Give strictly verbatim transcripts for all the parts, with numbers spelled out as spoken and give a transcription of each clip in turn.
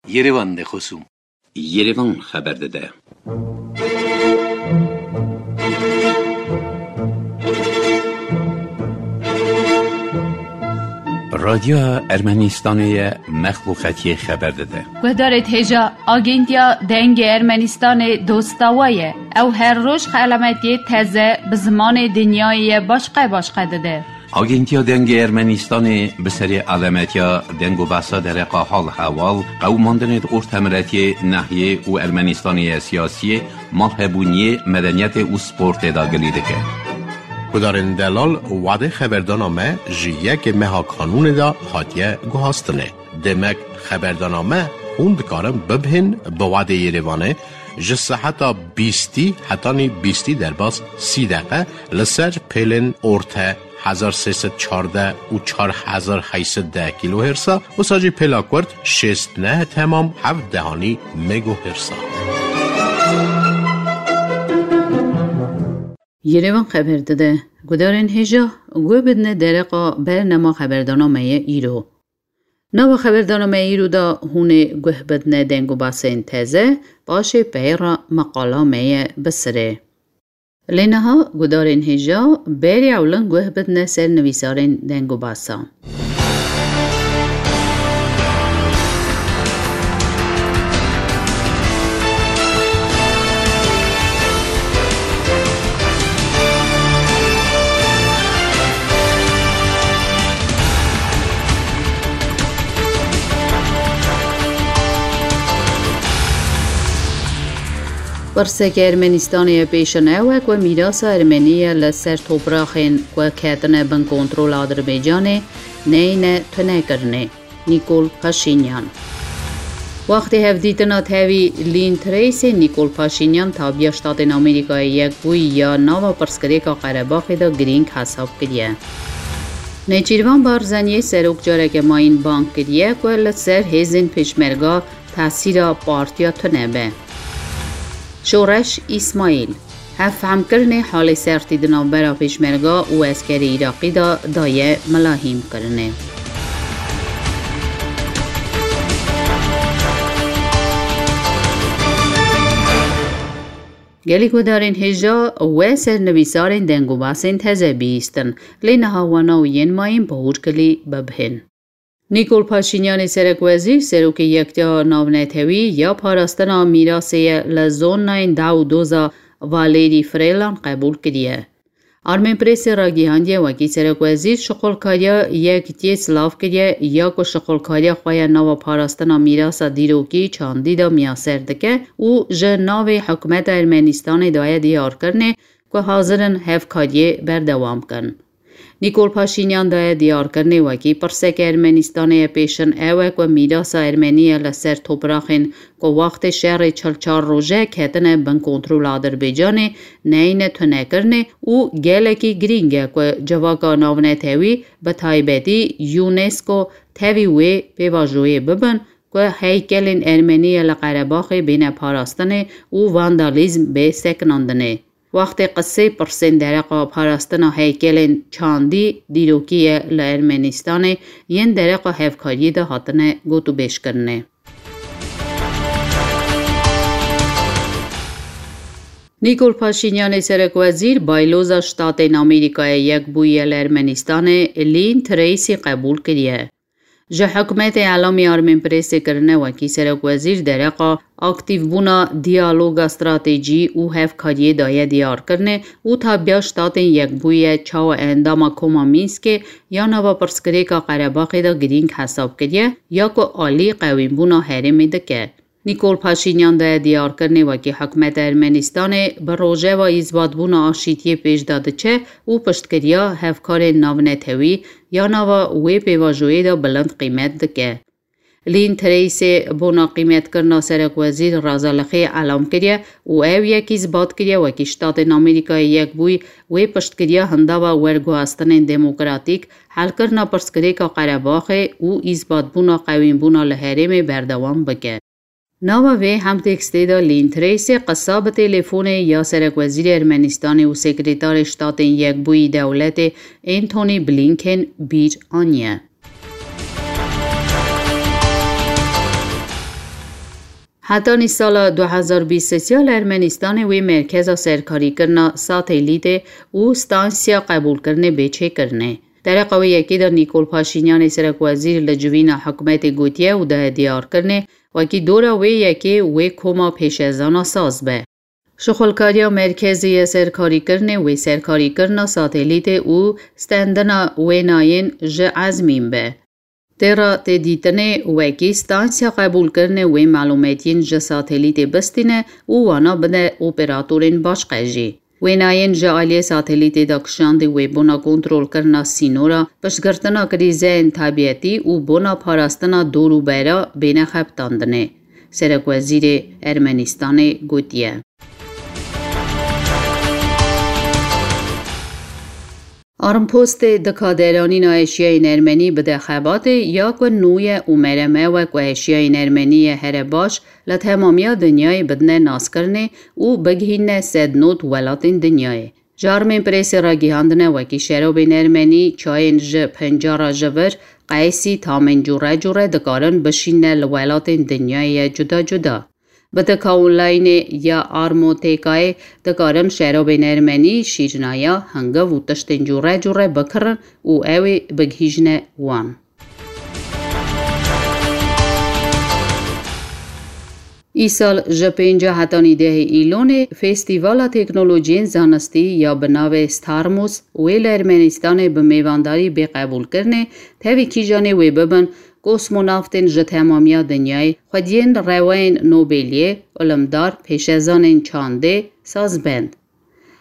Yerevan de xosûm. Yerevan xeber dide. Radyoya Ermenistanê ye, mexluqetiyê xeber dide. Guhdarê hêja, Agentiya Dengê Ermenistanê dosta we ye. Ew her roj xelametiyê teze bi zimanê dinyayê ye başqe başqe dide. Agentiya Dengê Ermenistanê bi serê alametiya deng û behsa dereqa hal hewal, qewimandinê di ortemiletiyê, nehiyê û Ermenistanê ye siyasiyê, malhebûniyê, medeniyetê û sportê de gilî dike. Gudarên delal, wadê xeberdana me ji yekê meha kanûnê de hatiye guhastinê. Demek xeberdana me hûn dikarin bibihên bi wadê Yerevanê ji seheta bîstî hetanî bîstî derbas sî deqe li ser pêlên orte hezar sê sed çardeh û çar hezar heyt sed deh kîlohêrsa, wisa jî pêla kurt şêst neh temam heft dehanî megohêrsa. Yerevan xeber dide. Gudarên hêja, guh bidine dereqa bernama xeberdana me ye îro. Nava xeberdana me îro de hûn ê guh bidine deng û basên teze, paşê peyra meqala me ye bi sirê. Lê niha gudarên hêja berê ewlin guh bidine ser nivîsarên deng û basa. Pirseke Ermenistanê ye pêşin ew e ku mîrasa Ermenî ye li ser topraxên ku ketine bin kontrola Adirbaycanê neyne tunekirinê. Nîkol Paşînyan. Wextê hevdîtina tevî Lîn Treysê, Nîkol Paşînyan tabiya Ştatên Amerîkayê Yekbûyî ya nava pirsgirêka Qerebaxê de girîng hesab kiriye. Nêçîrvan Barzaniyê serok careke mayîn bang kiriye ku li ser hêzên pêşmerga tesîra partiya tune be. Şoreş Îsmaîl. Hevfehmkirinê halê sertî di navbera pêşmerga û eskerê Iraqî de daye milahîmkirinê. Gelek guhdarên hêja we sernivîsarên deng û basên teze bihîstin, lê niha wana û yên mayîn bi hûrkilî bibihên. Nîkol Paşînyanê serekwezîr, serokê Yektiya Navnetewî ya Parastina Mîrasê ye li zonayên Dawdoza Valerî Frelan qebûl kiriye. Armenpressê ragihandiye, wekî serekwezîr şixulkariya Yektiyê silav kiriye ya ku şixulkariya xwe ya nava parastina mîrasa dîrokî çandî de miyaser dike û ji navê hikûmeta Ermenistanê daye diyarkirinê ku hazir in hevkariyê berdewam bikin. Nîkol Paşînyan daye diyarkirinê wekî pirseke Ermenistanê ye pêşin ew e ku mîrasa Ermenî ye li ser topraxên ku wextê şerê çil çar roje ketine bin kontrola Adirbaycanê neyne tunekirinê û gelekî girîng e ku civaka navnetewî, bi taybetî UNESCO, tevî wê pêvajoyê bibin ku heykelên Ermenî ye li Qerebaxê bêne parastinê û vandalîzm bê sekinandinê. Wextê qisê pirsên dereqa parastina heykelên çandî dîrokî ye li Ermenistanê yên dereqa hevkariyê de hatine gotûbêjkirinê. Nîkol Paşînyanê serekwezîr bayloza Ştatên Amerîkayê Yekbûyî ye li Ermenistanê Lîn Treysî qebûl kiriye. Ji hikûmetê elamî Armenpressê kirine wekî serekwezîr dereqa aktîvbûna diyaloga stratejî û hevkariyê daye diyarkirinê û tabiya Ştatên Yekbûyî ye çawa endama Koma Mînskê ya nava pirsgirêka Qerebaxê de girîng hesab kiriye ya ku alî qewînbûna herêmê dike. Nîkol Paşînyan daye diyarkirinê wekî hikûmeta Ermenistanê bi rojeva îzbatbûna aşîtiyê pêş de diçe û piştgiriya hevkarên navnetewî ya nava wê pêvajoyê de bilind qîmet dike. Lîn Treysê bona qîmetkirina serekwezîr Razalixê elam kiriye û ew yekî îzbat kiriye wekî Ştatên Amerîkayê Yekbûyî wê piştgiriya hindava werguhastinên demokratîk, helkirina pirsgirêka Qerebaxê û îzbatbûna qewînbûna li herêmê berdewam bike. Nava vê hemtekstê de Lîn Treysê qisa bi telefonê ya serekwezîrê Ermenistanê û sekretarê Ştatên Yekbûyî Dewletê Antony Blinken bîr aniye. Hetanî sala du hezar bîst û sê li Ermenistanê wê merkeza serkarîkirina satelîtê û stansiya qebûlkirinê bê çêkirinê. Dereqa wê yekê de Nîkol Paşînyanê serekwezîr li civîna hikûmetê gotiye û daye diyarkirinê, wekî dora wê yekê wê koma pêşezana saz be. Şixulkariya merkezê ye serkarîkirinê wê serkarîkirina satelîtê û stendina wênayên ji ezmîn be. Têra tê dîtinê wekî stansiya qebûlkirinê wê malûmetiyên ji satelîtê bistîne û wana bide operatorên başqe jî. Wênayên ji aliyê satelîtê de kişandî wê bona kontrolkirina sînora, piştgirtina krîzeyên tebiyetî û bona parastina dor û bera bêne xebitandinê, serekwezîrê Ermenistanê gotiye. Armpostê dika deranîna eşyayên ermenî bide xebatê ya ku nû ye û merem ew e ku eşyayên ermenî ye here baş li temamiya dinyayê bidine naskirinê û bigihîne sed not welatên dinyayê. Ji armên presê ragihandine wekî şerobên ermenî, çayên ji pencara ji vir, qeysî, tamên cûre cûre dikarin bişîne li welatên dinyayê ye cuda cuda. Bi tika onlaynê ya Armotêkayê dikarin şerobên ermenî, şîrnaya, hingiv û tiştên cûre cûre bikirin û ew ê bigihîjine wan. Îsal ji pênca hetanî dehê Îlonê Festîvala Teknolojiyên Zanistî ya bi navê Starmus wê li Ermenistanê bi mêvandarî bê qebûlkirinê tevî kîjanê wê bibin kosmonaftên ji temamiya dinyayê, xwediyên rewayên Nobeliyê, ilimdar, pêşezanên çandê, sazbend.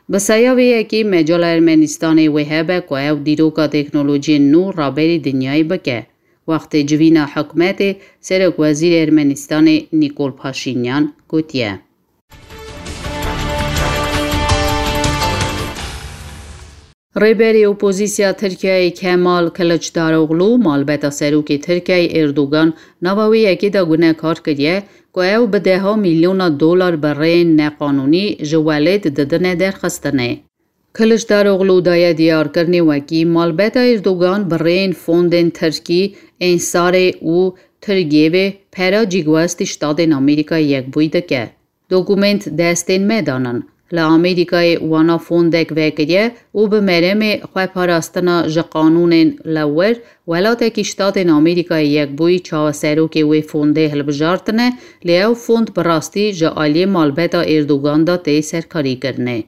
Bi saya vê yekê mecala Ermenistanê wê hebe ku ew dîroka teknolojiyên nû raberî dinyayê bike. Wextê civîna hikûmetê, serokwezîrê Ermenistanê Nîkol Paşînyan gotiye. Rêberê opozîsya Tirkiyeyê Kemal Kiliçdaroglu malbeta serokê Tirkiyeyê Erdogan nava wê yekê de gunekar kiriye ku ew bi deha milyona dolar bi rêyên neqanûnî ji welêt didine derxistinê. Kiliçdaroglu daye diyarkirinê wekî malbeta Erdogan bi rêyên fondên tirkî, Ensarê û Tirgêvê pera cîgwestî Ştatên Amerîkayê Yekbûyî dike. Dokument destên me danin. Li Amerîkayê wana fondek vekiriye û bi meremê xweparastina ji qanûnên li wir welatekî Ştatên Amerîkayê Yekbûyî çawa serokê wê fondê hilbijartine, lê ew fond bi rastî ji aliyê malbeta Erdogan de tê serkarîkirinê.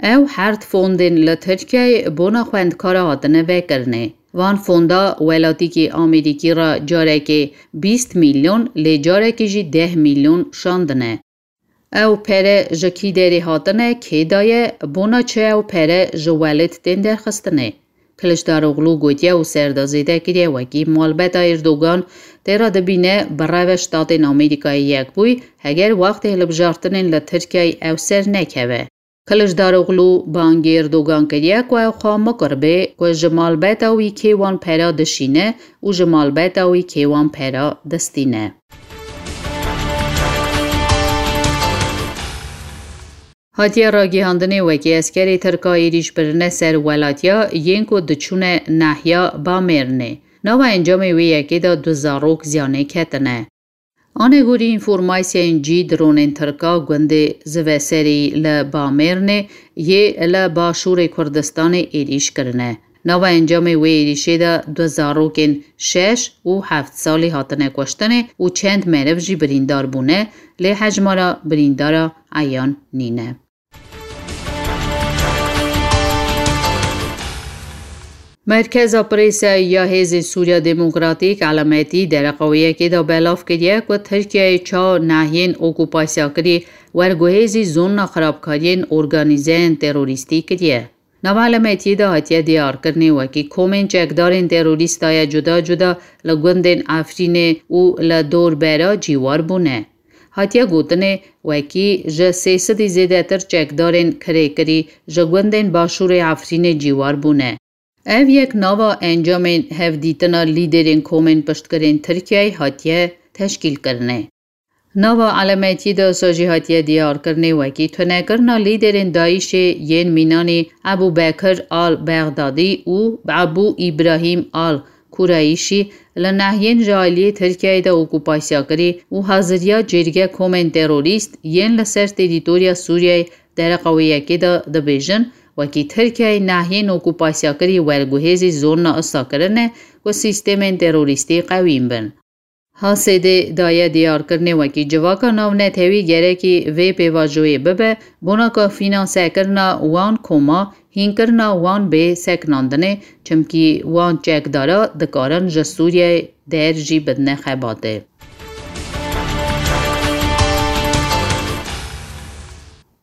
Ew herd fondên li Tirkiyeyê bona xwendkara hatine vekirinê. Van fonda welatîkî Amerîkî re carekê bîst milyon, lê carekê jî deh milyon şandine. Ew pere ji kî derê hatine, kê daye, bona çi ew pere ji welêt tên derxistinê? Kiliçdaroglu gotiye û ser de zêde kiriye wekî malbeta Erdogan tê re dibîne bi reve Ştatên Amerîkayê Yekbûyî heger wextê hilbijartinên li Tirkiyeyê ew ser nekeve. Kiliçdaroglu bangê Erdogan kiriye ku ew xwe mikir bê ku ji malbeta wî kê wan pera dişîne û ji malbeta wî kê wan pera distîne. Hatiye ragihandinê wekî eskerê Tirka êrîş birine ser welatiya yên ku diçûne nahiya Bamêrnê. Nava encamê wê yekê de du zarok ziyanê ketine. Anegorî înformasyayên cî, dronên Tirka gundê Ziveserî li Bamêrnê yê li başûrê Kurdistanê êrîş kirine. Nava encamê wê êrîşê de du zarokên şeş û heft salî hatine kuştinê û çend meriv jî birîndar bûne, lê hejmara birîndara eyan nîne. Merkeza Presayê ya Hêzên Sûriya Demokratîk, Elametî, dereqa wê yekê de belav kiriye ku Tirkiyeyê çawa nahiyên okupasyakirî werguhêzî zona xirabkariyên organîzeyên terorîstî kiriye. Nava Elametiyê de hatiye diyarkirinê wekî komên çekdarên terorîst daye cuda cuda li gundên Efrînê û li dor bera cîwar bûne. Hatiye gotinê, wekî ji sê sedî zêdetir çekdarên kirêkirî ji gundên başûrê Efrînê cîwar bûne. Ev yek nava encamên hevdîtina lîderên komên piştgirên Tirkiyeyê hatiye teşkîlkirinê. Nava Elametiyê de wisa jî hatiye diyarkirinê wekî tunekirina lîderên DAIŞê yên mînanî Ebû Bekir al Bexdadî û Ebû Îbrahîm al Kurayîşî li nehiyên ji aliyê Tirkiyeyê de okupasya kirî û haziriya cêrge komên terorîst yên li ser terîtoriya Sûriyeyê dereqa wê yekê de dibêjin, wekî Tirkiyeyê nehiyên okupasya kirî werguhêzî zorna usa kirine ku sîstemên terorîstî qewîn bin. H S D daye diyarkirinê wekî civaka navnetewî gerekî vê pêvajoyê bibe, bona ku fînansekirina wan koma hînkirina wan bê sekinandinê, çimkî wan çekdara dikarin ji Sûriyeyê der jî bidine xebatê.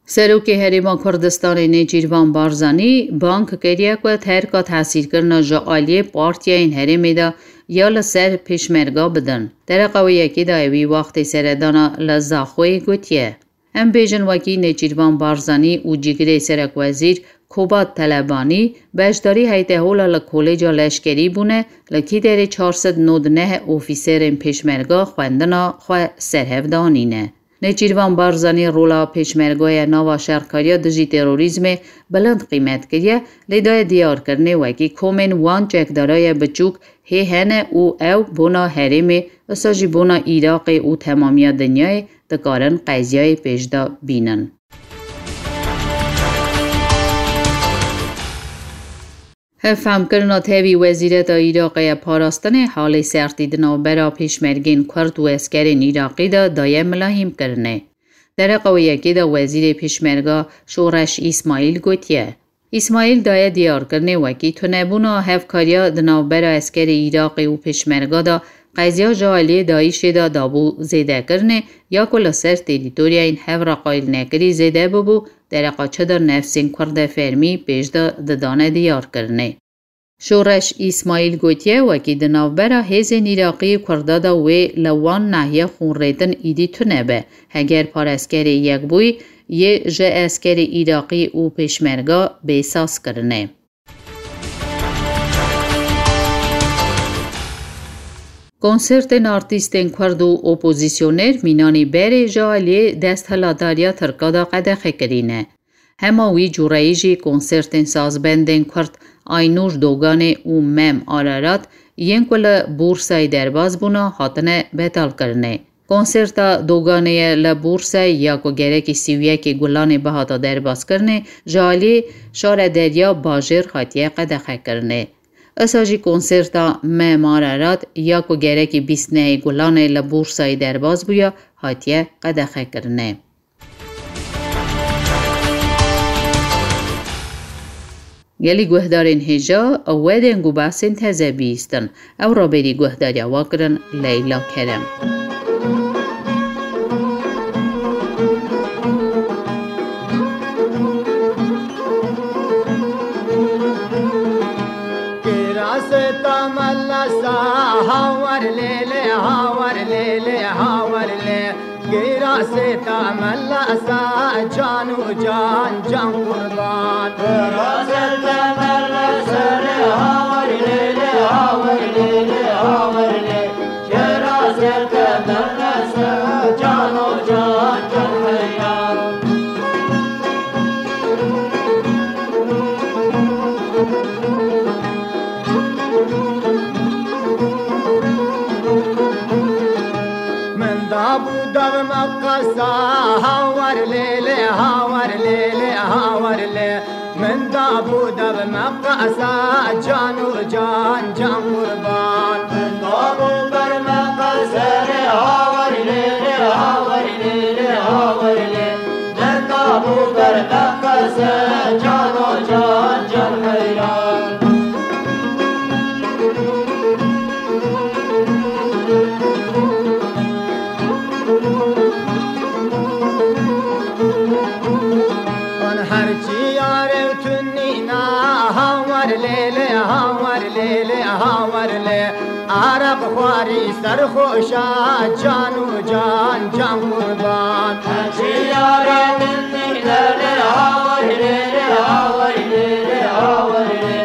Serokê Herêma Kurdistanê Nêçîrvan Barzanî bang kiriye ku terka tesîrkirina ji aliyê partiyayên herêmê de ya li ser pêşmerga bidin. Dereqa wê yekê de ewî wextê seredana li Zaxoyê gotiye. Em bêjin wekî Nêçîrvan Barzanî û cîgirê serekwezîr Kobat Telebanî beşdarî heytehola li Kolêca Leşkerî bûne, li kî derê çar sed nod neh ofîserên pêşmerga xwendina xwe serhev danîne. Nêçîrvan Barzanî rola pêşmergaya nava şerkariya dijî terorîzmê bilind qîmet kiriye, lê daye diyarkirinê wekî komên wan çekdaraye biçûk hê hene û ew bona herêmê, usa jî bona Iraqê û temamiya dinyayê dikarin qeziyayê pêş de bînin. Hevfemkirina tevî wezîreta Iraqê ya parastinê halê sertî di navbera pêşmergên Kurd û eskerên Iraqî de daye milahîmkirinê. Dereqa wê yekê de wezîrê pêşmerga Şoreş Îsmaîl gotiye. Îsmaîl daye diyarkirinê wekî tunebûna hevkariya di navbera eskerê Iraqê û pêşmerga de qeziya ji aliyê DAIŞê de dabû zêdekirinê ya ku li ser terîtoryayên hev re qayîlnekirî zêde bibû, dereqa çi de nefsên Kurdê fermî pêş de didane diyarkirinê. Şoreş Îsmaîl gotiye, wekî di navbera hêzên Iraqî û Kurda de wê li wan nahiye xûnrêtin îdî tune be. Heger paraskerê Yekbûyî yê ji eskerê Iraqî û pêşmerga bê sazkirinê. Konsertên artîstên Kurd û opozîsyoner mînanî berê ji aliyê desthilatdariya Tirka de qedexekirî ne. Hema wî cûreyî jî konsertên sazbendên Kurd Aynûr Doganê û Mem Ararat yên ku li Bûrsayê derbas bûne hatine betalkirinê. Konserta Doganê ye li Bûrsayê ya ku gerekî sî û yekê Gulanê bihata derbaskirinê ji aliyê Şare Derya Bajêr hatiye qedexekirinê. Isa jî konserta Mem Ararat ya ku gerekî bîst nehê Gulanê li Bûrsayê derbas bûya hatiye qedexekirinê. Gelî guhdarên hêja, ew deng û behsên teze bihîstin. Ew raberî guhdariya we kirin Leyla Kerem. Kirasê te melesa, hawer lê lê, hawer lê lê, hawer lê. Kirasê te melesa, can û can, can qurban. Kirasê te melesa, hawer lê lê, hawer lê lê, hawer lê. Kirasê te melesa, can û can, can heyran. Min dabû dev me qesa, hawer lê lê, hawer lê lê, hawer lê. Min dabû dev me qesa, can û can, can qurban. Min dabû ber me qesa, hawer lê lê, hawer lê lê, hawer lê. Min dabû ber me qesa, can û can, can heyran. An her çi yare tunîna, hawer lê lê, hawer lê lê, hawer lê. Arab xwarî serxweşa, can û can, can qurban. Her çi yare tunîna, hawer lê lê, hawer lê lê, hawer lê.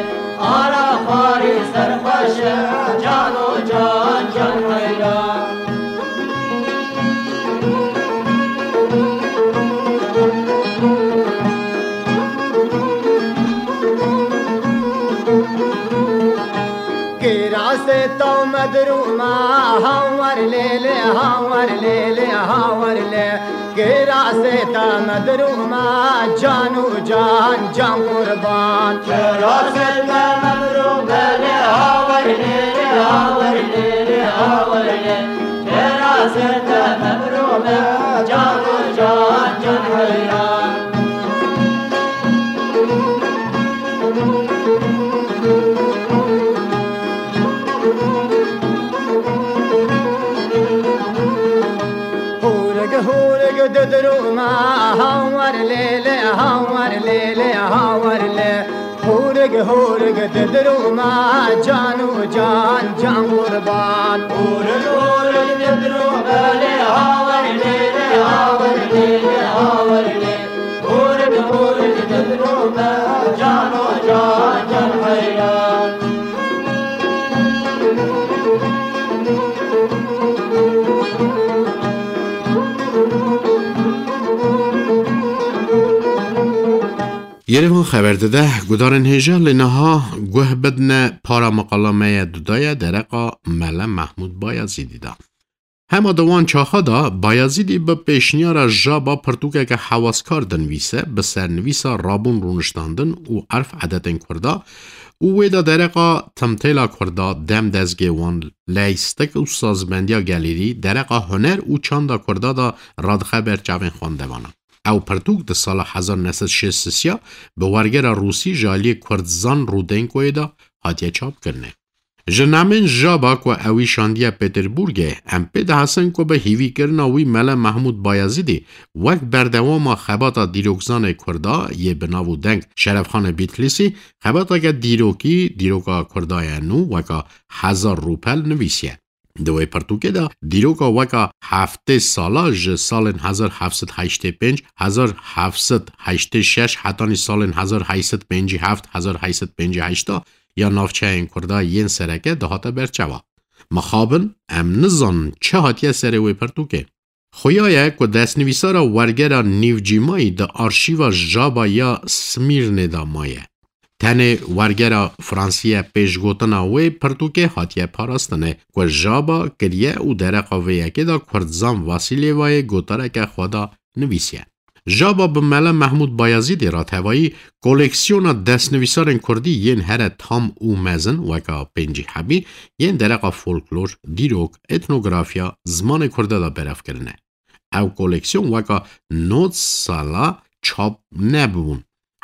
Ara xwarî serxweş e, can û can, can heyran. Asê taw medrûma, hawer lê lê, hawer lê lê, hawer lê. Girasê ta medrûma, can û can, can qurban. Girasê ta medrûma, lê hawer lê lê, hawer lê lê, hawer lê. Girasê ta medrûma, can û can, can heyran. Hûrig hûrig didrûma, hawer lê lê, hawer lê lê, hawer lê. Hûrig hûrig didrûma, can û can, can qurban. Hûrig hûrig didrûma, lê hawer lê lê, hawer lê lê, hawer lê. Hûrik hûrik didrûme, can û can, can heyran. Yerevan xeber dide, gudarên hêja lê niha guh bidine para maqala me ye dudaye dereqa Mele Mehmûd Bayezîdî de. Hema di wan çaxa de Bayezîdî bi pêşniyara Jaba pirtûkeke hewaskar dinivîse, bi sernivîsa rabûn rûniştandin û erf edetên Kurda û wê de dereqa timtêla Kurda, dem dezgê wan, leystik û sazbendiya gelêrî, dereqa huner û çanda Kurda de radixe ber çavên xwendevanan. Ew pirtûk di sala hezar neh sed şêst sisiya bi wergera Rûsî ji aliyê Kurdzan Rudenkoyê de hatiye çapkirinê. Ji namên Jaba ku ewî şandiye Peterburgê, em pê dihesin ku bi hîvîkirina wî Mele Mehmûd Bayezîdî wek berdewama xebata dîrokzanê Kurda yê bi nav û deng Şerefxanê Bîtlîsî, xebateke dîrokî, dîroka Kurda ye nû weka Hezar Rûpel nivîsiye. Di wê pirtûkê de dîroka weka heftê sala ji salên hezar heft sed heştê pênc, hezar heft sed heştê şeş hetanî salên hezar heyt sed pêncî heft, hezar heyt sed pêncî heşt ya navçeyên Kurda yên sereke dihate berçava. Mixabin, em nizanin çi hatiye serê wê pirtûkê. Xuya ye ku destnivîsara wergera nîvcîmayî di arşîva Jaba ya Smîrnê de maye. Tenê wergera Fransî ye pêşgotina wê pirtûkê hatiye parastinê ku Jaba kiriye û dereqa vê yekê de Kurdzan Vasîlêvayê gotareke xwe de nivîsiye. Jaba bi Mele Mehmûd Bayezîdê re tevayî koleksiyona destnivîsarên kurdî yên here tam û mezin weka pêncî hebî yên dereqa folklor, dîrok, etnografiya, zimanê kurde de berev kirine. Ew koleksiyon weka nod sala çap nebûn.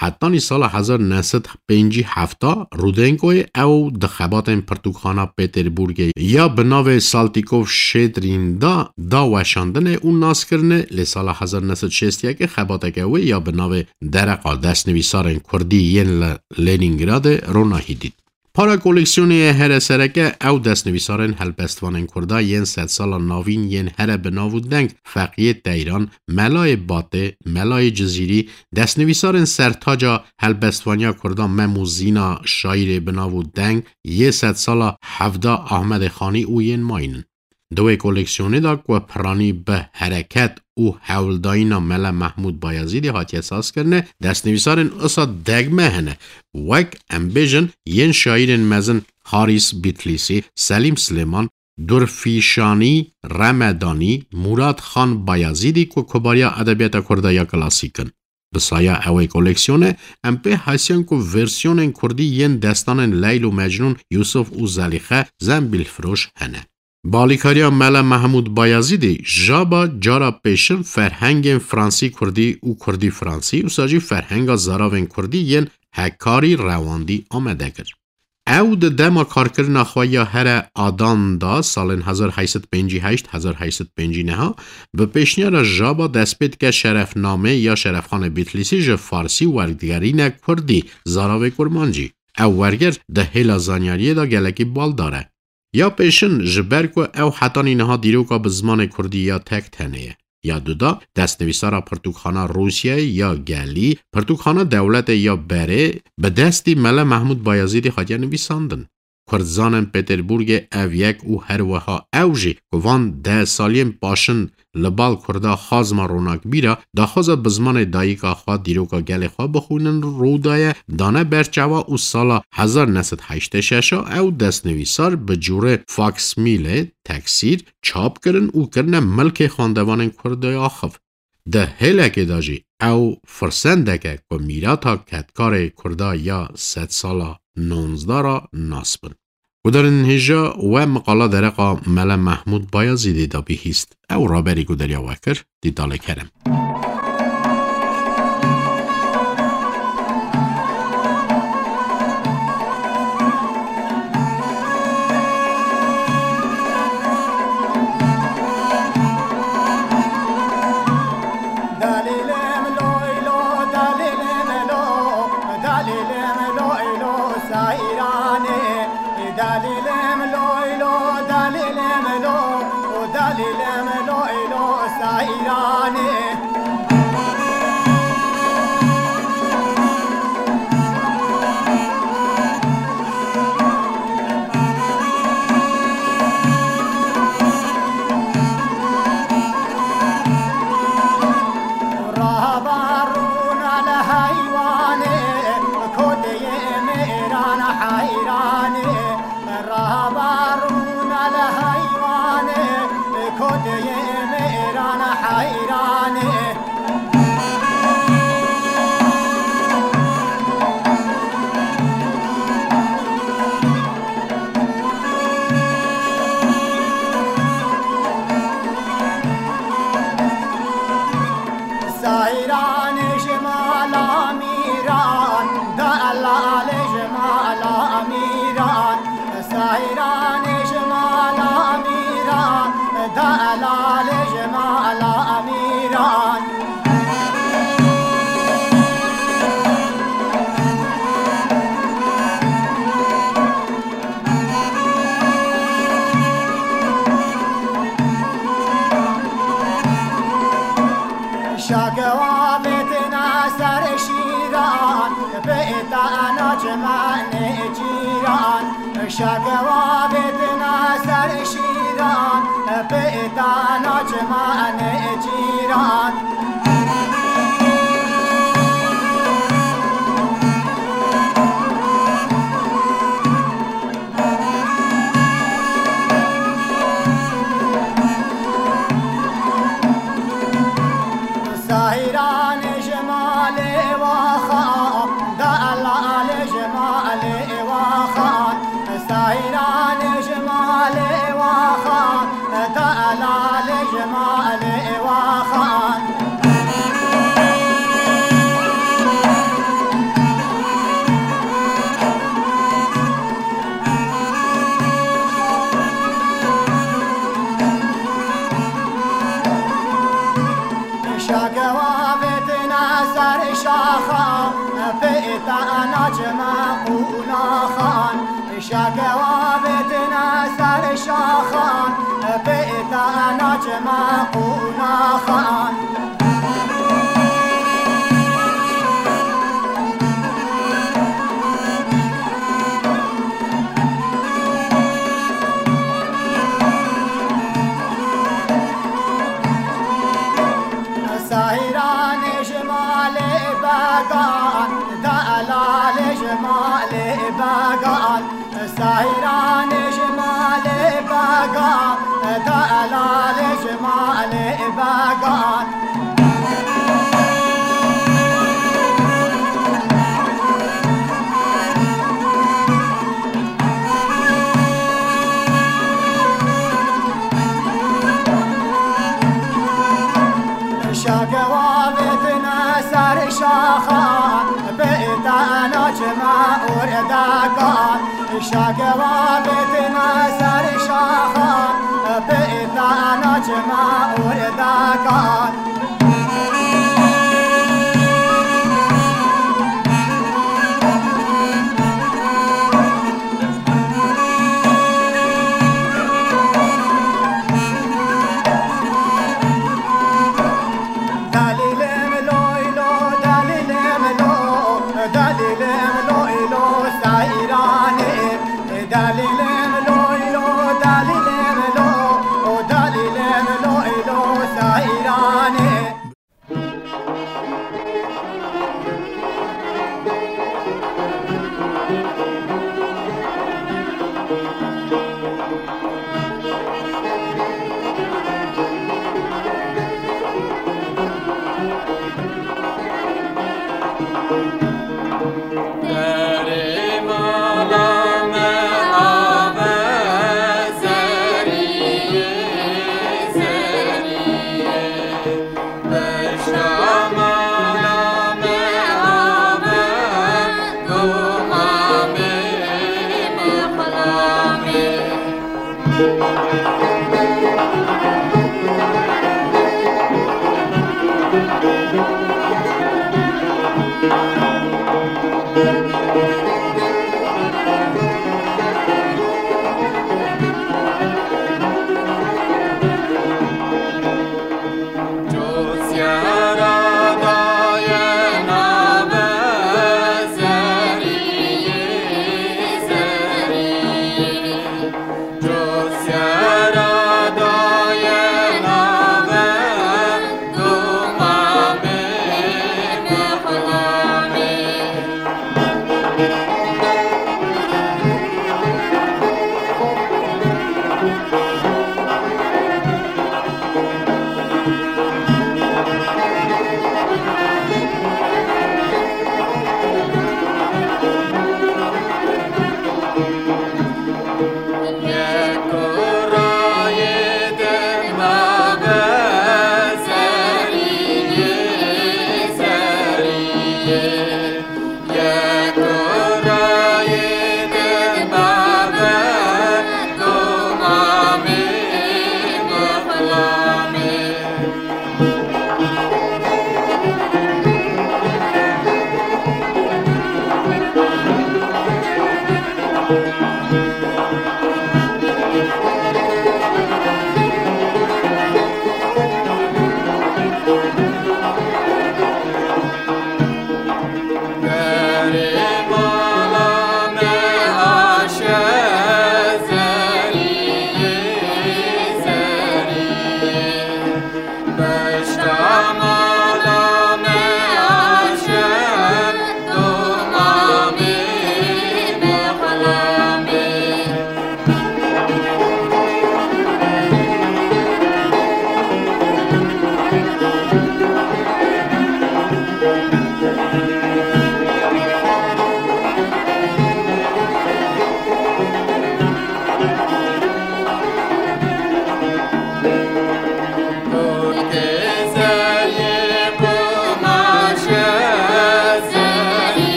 Hetanî sala hezar neh sed pêncî heft Rudenkoyê ew di xebatên pirtûkxana Peterburgê ya bi navê Saltîkov Şedrîn da, da weşandinê û naskirinê, lê sala hezar neh sed şêst yekê xebateke wê ya bi navê Dereqa Destnivîsarên Kurdî yên li Lenîngradê ronahî dît. Para koleksiyonê ye here sereke ew destnivîsarên helbestvanên Kurda yên sedsala navîn yên here bi nav û deng Feqiyê Teyran, Melayê Batê, Melayê Cizîrî, destnivîsarên sertaca helbestvaniya Kurda Mem û Zîna, şaîrê bi nav û deng yê sedsala hevda Ahmedê Xanî û yên mayîn in. Di wê koleksiyonê de ku piranî bi hereket û hewldayîna Mele Mehmûd Bayezîdê hatiye sazkirine, destnivîsarên usa degme hene, wek, em bêjin, yên şaîrên mezin Harîs Bîtlîsî, Selîm Silêman, Durfîşanî Remedanî, Murad Xan Bayezîdî ku kubariya edebiyata Kurda ya klasîk in. Bi saya ewê koleksiyonê, em pê hesiyan ku versiyonên kurdî yên destanên Leyl û Mecnûn, Yusuf û Zelîxe, Zembîlfiroş hene. Bi alîkariya Mele Mehmûd Bayezîdî, Jaba cara pêşin ferhengên fransî-kurdî û kurdî-fransî, wisa jî ferhenga zaravên kurdî yên hekarî rewandî amade kir. Ew di dema karkirina xwe ya here adan de, salên hezar heyt sed pêncî heşt hezar heyt sed pêncî neh, bi pêşniyara Jaba dest pê dike şerefnamê ya Şerefxanê Bîtlîsî ji farsî werdigerîne kurdî, zaravê kurmancî. Ew werger di hêla zanyariyê de gelekî baldar e. Ya pêşin, ji ber ku ew hetanî niha dîroka bi zimanê kurdî ya tek tenê ye. Ya duda, destnivîsara pirtûkxana Rûsyayê ya gelî, pirtûkxana dewletê ya berê, bi destî Mele Mehmûd Bayezîdî hatiye nivîsandin. Kurd zanin Peterburgê ev yek û her wiha ew jî ku van deh saliyên paşin li bal Kurda xazma ronakbîr a, daxwaza bi zimanê dayika xwe dîroka gelê xwe bixwînin rû daye, dane ber çawa û sala hezar neh sed heştê şeş a ew destnivîsar bi cûrê faksmîlê, teksîr, çap kirin û kirine milkê xwendevanên Kurda ya xiv. Di hêlekê de jî ew firsendek e ku mîrata kedkarê Kurda ya sedsala nonzdeh re nas bin. Guhdarên hêja we miqala dereqa Mele Mehmûd Bayazîdê de bihîst. Ew raberî ku derya we kir, dîtalê kerem. Dalîlim loy lo, dalîlim lo, dalîlim loy lo, Seyranê. Dalîlim loy lo, dalîlim lo, o dalîlim loy lo, Seyranê. Rabarûna li heywanê, koteyê mêran heyranê. Rabarûna li heywanê, koteyê mêran heyranê. Seyranê ji mala mîran, delalê ji mala mîran. Seyranê ji mala mîran, delalê ji mala mîran. Şakewa vêtina ser şîran, bêtana çimanê cîran. Şakewa vêtina ser şîran, bêtana çimanê cîran. Seyranê ji malê waxa, delalê ji malê waxa. Seyranê ji malê waxa, delalê ji malê waxa. Şakewa vêtina ser şaxan, pêtana çima qunaxan. Şakewa vêtina ser şaxan, pêtana çima qunaxan. Seyranê ji malê began, delalê ji malê began. Seyranê ji malê began, delalê ji malê began. Şakewa vêtina ser şaxan, bêtana çima ordakan. Şakewa vêtina ser şaxan, bêtana çima ordakan. Dalîlim loy lo, dalîlim lo, dalîlim loy lo, Seyranê. Dalî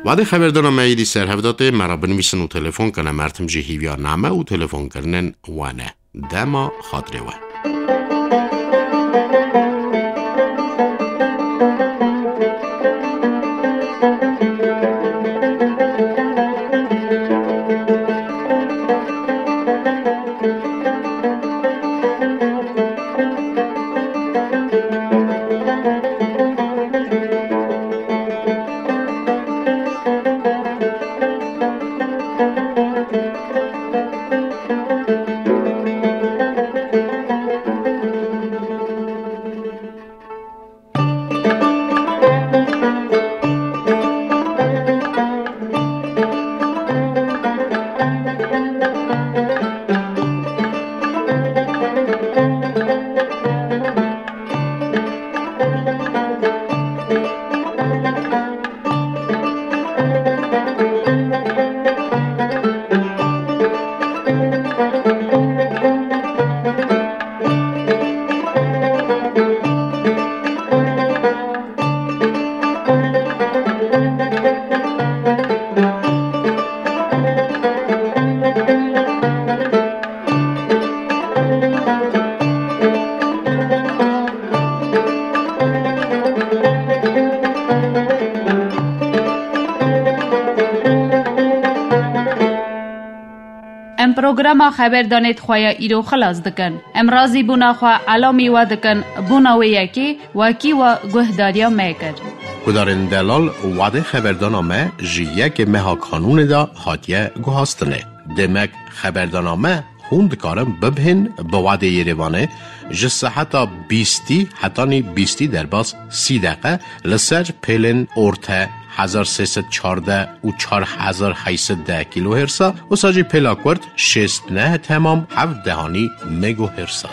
Wadê xeberdana me êdî ser hev de tê, me re binivîsin û telefon kene, mertim jî hîviya name û telefonkirinên we ne. Dema xatirê we. Em programa xeberdanê di xwe ya îro xilas dikin. Em razîbûna xwe elamî we dikin, bûna wê yekê wekî we guhdariya me kir. Guhdarên delal, wadê xeberdana me ji yekê meha Kanûnê de hatiye guhastinê. Demek xeberdana me hûn dikarin bibihên bi wadê Yerêvanê ji seheta bîstî hetanî bîstî derbas sî deqe li ser pêlên orte hezar sê sed çardeh û çar hezar heyt sed deh kilohersa, wisa jî pêla kurt şêst neh temam heft dehanî megohersa.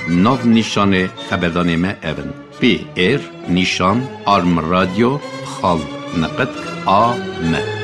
Nav nîşanê xeberdanê me ev in: P R nîşan arm radio xal neqet A M.